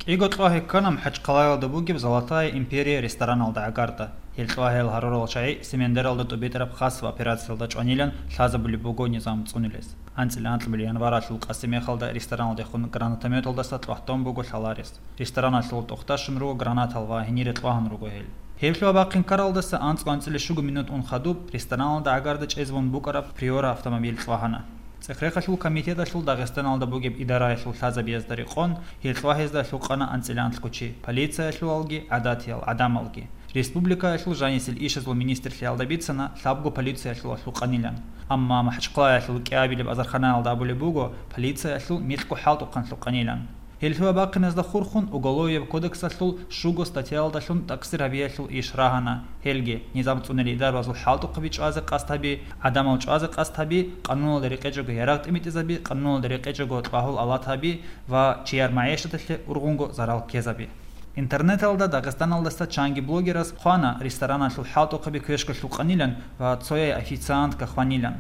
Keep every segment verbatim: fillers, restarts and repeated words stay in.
КӀиго кьвагьи ккана МахӀачхъалаялда бугеб «Золотая империя» рестораналда гӀагарда. Гьел кьвагьиял гьарурал чагӀи Семендералда тӀубитӀараб хасаб операциялда чӀванилан лъазабулеб буго низам цӀунулес. АнцӀила анкьабилеб январалъул къаси мехалда рестораналдехун гранатометалдаса тӀватун буго лъаларес. Рестораналъул тӀохда щун руго гранатал ва гьенире кьвагьун руго гьел. Гьеб лъугьа-бахъин ккаралдаса анцӀго анцӀила щуго минут ун хадуб рестораналда гӀагарда чӀезабун букӀараб Приора автомобиль кьвагьана. ЦӀехрехалъул комитеталъул Дагъистаналда бугеб идараялъул лъазабиязда рекъон, гьел кьвагьезда лъукъана анцӀила анлъго чи, полициялъулалги, гӀадатиял гӀадамалги. Республикаялъул жанисел ишазул министрлъиялда бицана лъабго полициялъулалъ лъукъанилан. Амма МахӀачхъалаялъул кӀиабилеб азарханаялда абулеб буго, полициялъул микьго хӀалтӀухъан лъукъанилан. Гьел лъугьа-бахъиназда хурхун Уголовияб кодексалъул щуго статьяялдалъун такъсир гьабиялъул иш рагьана, гьелги: низам цӀунел идарбазул хӀалтӀухъаби чӀвазе къасд гьаби, гӀадамал чӀвазе къасд гьаби, къануналда рекъечӀого ярагъ тӀимитӀизаби, къануналда рекъечӀого кьвагьул алат гьаби ва чияр магӀишаталъе ургъунго зарал ккезаби. Интернеталда Дагъистаналдаса чанги блогерас хъвана рестораналъул хӀалтӀухъаби квешго лъукъанилан ва цояй официантка хванилан.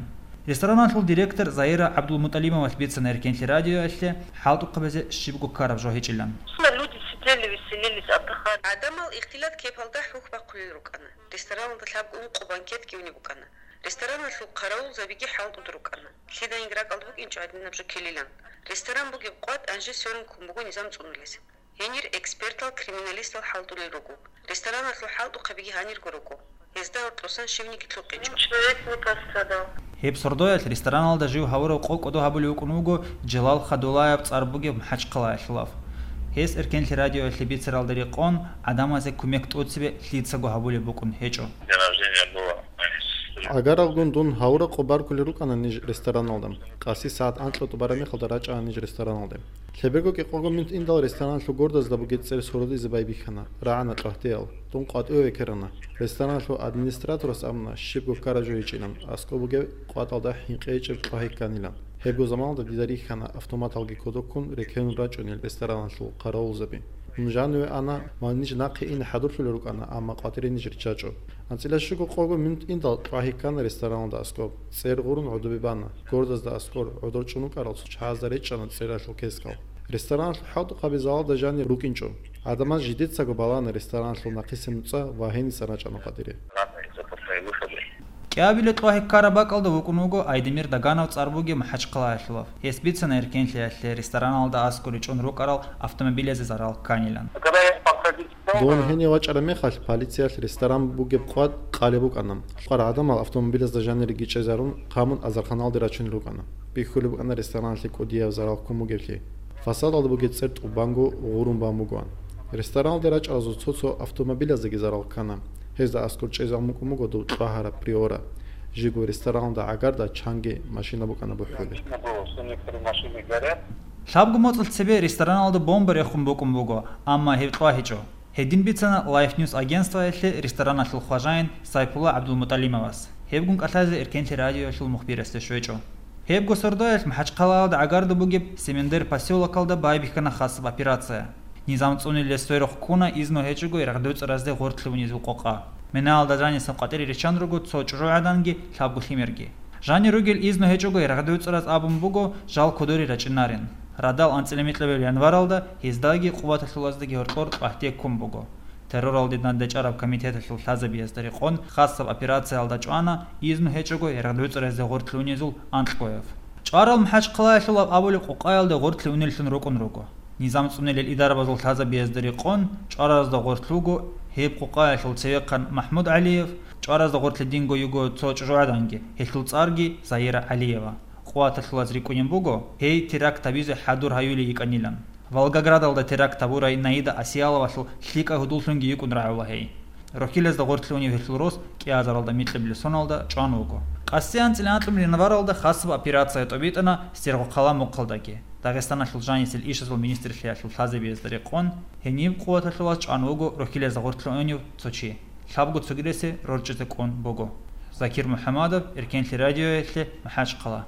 Рестораналъул директор Заира ГӀабдулмутӀалимовалъ бицана Эркенлъи радиоялъе хӀалтӀухъабазе щибго ккараб жо гьечӀилан. Люди сидели, веселились, отдыхали. ГӀадамал ихтилат кепалда хӀухь бахъулел рукӀана. Рестораналда лъабго ункъо банкетги унеб букӀана. Рестораналъул хъаравулзабиги хӀалтӀуда рукӀана. Лъиданиги ракӀалда букӀинчӀо гьадинаб жо ккелилан. Ресторан бугеб къватӀ анжи сверун ккун буго низам цӀунулес. Гьенир экспертал, криминалистал хӀалтӀулел руго. Рестораналъул хӀалтӀухъабиги гьанирго руго. Гьезда гьоркьосан щивниги лъукъинчӀо. Ничего человек не пострадал. Гьеб сордоялъ рестораналда жив гьавурав къо-, кӀодо гьабулев вукӀун вуго Желал Хадулаев цӀар бугев МахӀачхъалаялъулав. Гьес Эркенлъи радиоялъе бицаралда рекъон, гӀадамазе кумек тӀоцебе лъицаго гьабулеб букӀун гьечӀо. День рождения было. ГӀагаралгун дун гьавураб къо баркулел рукӀана ниж рестораналда. Къаси сагӀат анкьа тӀубараб мехалда рачӀана ниж рестораналде. Лъеберго кӀикъого минут индал рестораналъул гордазда бугеб цӀер сордоялъе байбихьана, рагӀана кьвагьтиял. Дун къватӀиве векерана. Рестораналъул администраторас абуна, щибго ккараб жо гьечӀилан, аскӀоб бугеб къватӀалда хӀинкъи гьечӀеб кьвагьи кканилан. Гьебго заманалда дида рихьана автоматалги кодоб ккун рекерун рачӀунел рестораналъул хъаравулзаби. Дун жаниве ана ва ниж нахъе ине хӀадурлъулел рукӀана, амма къватӀире ниж риччачӀо. АнцӀила щуго-къого минут индал кьвагьи ккана рестораналда аскӀоб. ЦӀер гъурун гӀодобе бана. Гордазда аскӀор гӀодор чӀун вукӀарал цо чагӀазда речӀчӀана цӀералъул кескал. Рестораналъул хӀалтӀухъаби залалда жанир рукӀинчӀо. ГӀадамаз жидецаго балана рестораналъул нахъисеб нуцӀа ва гьенисан рачӀана къватӀире. КӀиабилеб кьвагьи ккараб бакӀалда вукӀун вуго Айдемир Даганов цӀар бугев МахӀачхъалаялъулав. Гьес бицана Эркенлъиялъе рестораналда аскӀоре чӀун рукӀарал автомобилазе зарал кканилан. Дун гьенив вачӀараб мехалъ, полициялъ ресторан бугеб къватӀ къалеб букӀана. Кьвар гӀадамал автомобилазда жаниреги чӀезарун, хъамун азарханалде рачунел рукӀана. Бихьулеб букӀана рестораналъе кӀудияб зарал ккун бугеблъи. Фасадалда бугеб цӀер тӀубанго гъурун бан бугоан. Рестораналде рачӀаразул цо-цо автомобилаздаги зарал ккана. Гьезда аскӀор чӀезабун букӀун буго дов кьвагьараб Приора. Жибго рестораналда гӀагарда чанги машина букӀана бухӀулеб. Лъабго моцӀалъ цебе рестораналда бомба рехун букӀун буго, амма гьеб кьвагьичӀо. Гьедин бицана Life News агентствоялъе рестораналъул хважаин Сайпулла ГӀабдулмутӀалимовас. Гьебгун кӀалъазе Эркенлъи радиоялъул мухбирасде щвечӀо. Гьебго сордоялъ МахӀачхъалаялда гӀагарда бугеб Семендер посёлокалда байбихьана хасаб операция. Низам цӀунилан сверухъ ккуна изну гьечӀого рагъдуцӀаразде гъорлъе унезул къокъа. Минаялда жанисан къватӀире риччан руго цо чӀужугӀаданги лъабго лъимерги. Жанир ругел изну гьечӀого рагъдуцӀараз абун буго жал кодоре рачӀинарин. Радал анцӀила микьабилеб январалда гьездаги къуваталъулаздаги гьоркьор кьвагьтие ккун буго. Терроралде дандечӀараб комитеталъул лъазабиязда рекъон хасаб операциялда чӀвана изну гьечӀого рагъдуцӀаразде гъорлъе унезул анкьгояв. ЧӀварал МахӀачхъалаялъулав абулеб къокъаялда гъорлъе унеллъун рукӀун руго. Низам цӀунилел идарабазул лъазабиязда рекъон чӀваразда гъорлъ вуго гьеб къокъаялъул цевехъан МахӀмуд ГӀалиев, чӀваразда гъорлъе динго йиго цо чӀужугӀаданги, гьелъул цӀарги Заира ГӀалиева. Къуваталъулаз рикӀкӀунеб буго, гьей теракт гьабизе хӀадур гьаюлей йикӀанилан. Волгоградалда теракт гьабурай Наида Асияловалъул лъикӀаб гьудуллъунги йикӀун рагӀула гьей. Рохьилазда гъорлъе унев гьелъул рос кӀиазаралда микьабилеб соналда чӀван вуго. Къаси анцӀила анкьабилеб январалда хасаб операция тӀобитӀана Сергокъала мухъалдаги. Дагъистаналъул жанисел ишазул министрлъиялъул лъазабиязда рекъон, гьениб къуваталъулаз чӀван вуго рохьилазда гъорлъе унев цо чи. Лъабго цогидасе рорчӀизе кӀун буго. Закир МухӀамадов, Эркенлъи радиоялъе, МахӀачхъала.